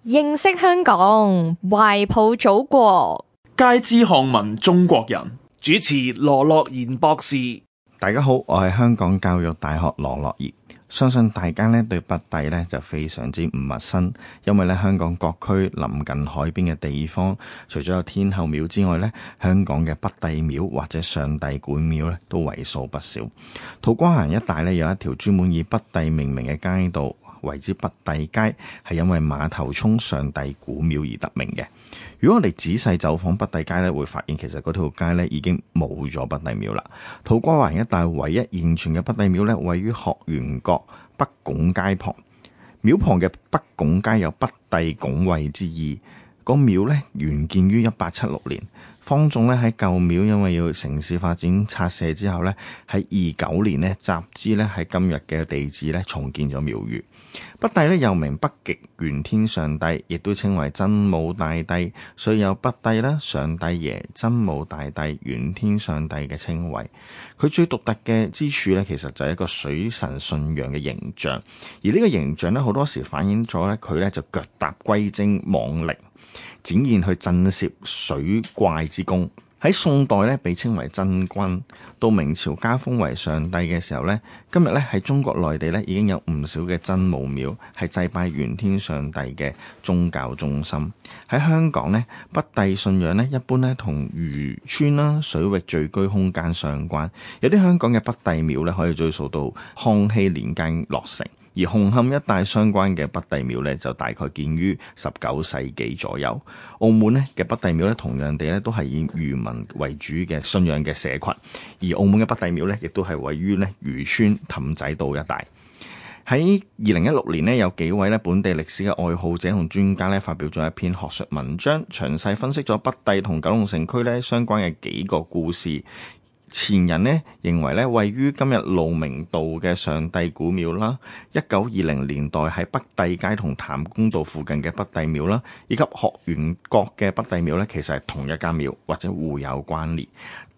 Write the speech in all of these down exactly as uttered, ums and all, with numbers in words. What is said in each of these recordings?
認識香港，懷抱祖國，皆知漢文中國人。主持羅樂賢博士。大家好，我係香港教育大學羅樂賢。相信大家咧對北帝咧就非常之唔陌生，因為咧香港各區臨近海邊嘅地方，除咗有天后廟之外咧，香港嘅北帝廟或者上帝館廟咧都為數不少。土瓜灣一帶咧有一條專門以北帝命名嘅街道，為之北帝街，係因為馬頭涌上帝古廟而得名嘅。如果我哋仔細走訪北帝街咧，會發現其實嗰條街咧已經冇咗北帝廟啦。土瓜灣一帶唯一現存嘅北帝廟咧，位於學園角北拱街旁。廟旁嘅北拱街有北帝拱衛之意。個廟咧原建於一八七六年，方仲咧喺舊廟因為要城市發展拆卸之後咧，喺二九年咧集資咧喺今日嘅地址咧重建咗廟宇。北帝咧又名北極玄天上帝，亦都稱為真武大帝，所以有北帝啦、上帝爺、真武大帝、玄天上帝嘅稱謂。佢最獨特嘅之處咧，其實就係一個水神信仰嘅形象，而呢個形象咧好多時反映咗咧佢咧就腳踏龜精網力，展現去震懾水怪之功。喺宋代咧被稱為真君，到明朝加封為上帝嘅時候咧，今日咧喺中國內地咧已經有唔少嘅真武廟係祭拜玄天上帝嘅宗教中心。喺香港咧，北帝信仰咧一般咧同漁村啦、水域聚居空間相關。有啲香港嘅北帝廟咧可以追溯到康熙年間落成。而紅磡一帶相關嘅北帝廟咧，就大概建於十九世紀左右。澳門咧嘅北帝廟咧，同樣地咧都係以漁民為主嘅信仰嘅社群。而澳門嘅北帝廟咧，亦都係位於咧漁村氹仔道一帶。喺二零一六年咧，有幾位咧本地歷史嘅愛好者同專家咧，發表咗一篇學術文章，詳細分析咗北帝同九龍城區咧相關嘅幾個故事。前人呢認為咧，位於今日路明道嘅上帝古廟啦，一九二零年代喺北帝街同譚公道附近嘅北帝廟啦，以及學園角嘅北帝廟咧，其實係同一間廟或者互有關聯。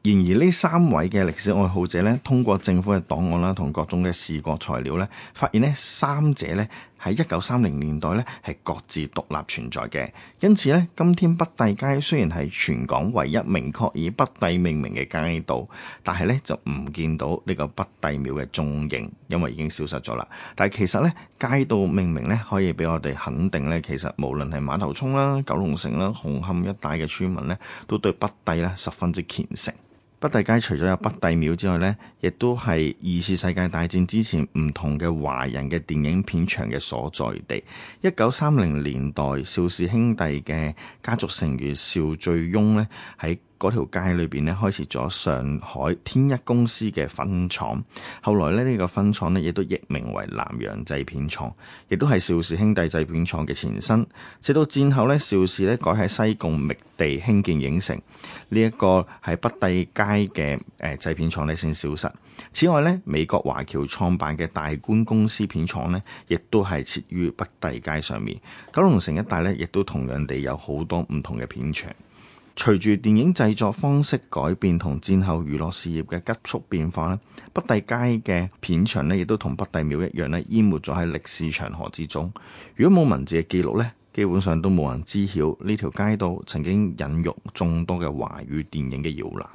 然而呢三位嘅歷史愛好者咧，通過政府嘅檔案啦，同各種嘅視覺材料咧，發現咧三者咧喺一九三零年代咧係各自獨立存在嘅。因此咧，今天北帝街雖然係全港唯一明確以北帝命名嘅街道，但係咧就唔見到呢個北帝廟嘅蹤影，因為已經消失咗啦。但係其實咧，街道命名咧可以俾我哋肯定咧，其實無論係馬頭涌啦、九龍城啦、紅磡一帶嘅村民咧，都對北帝咧十分之虔誠。北帝街除咗有北帝廟之外呢，亦都係二次世界大戰之前唔同嘅華人嘅電影片場嘅所在地。一九三零年代，邵氏兄弟嘅家族成員邵最翁呢，喺嗰條街裏邊咧開設咗上海天一公司嘅分廠，後來咧呢個分廠咧亦都易名為南洋製片廠，亦都係邵氏兄弟製片廠嘅前身。直到戰後咧，邵氏咧改喺西貢覓地興建影城，呢一個喺北帝街嘅誒製片廠咧先消失。此外咧，美國華僑創辦嘅大觀公司片廠咧，亦都係設於北帝街上面。九龍城一帶咧，亦都同樣地有好多唔同嘅片場。隨住電影製作方式改變同戰後娛樂事業嘅急速變化咧，北帝街嘅片場咧亦都同北帝廟一樣咧，淹沒咗喺歷史長河之中。如果冇文字嘅記錄咧，基本上都冇人知曉呢條街道曾經孕育眾多嘅華語電影嘅搖籃。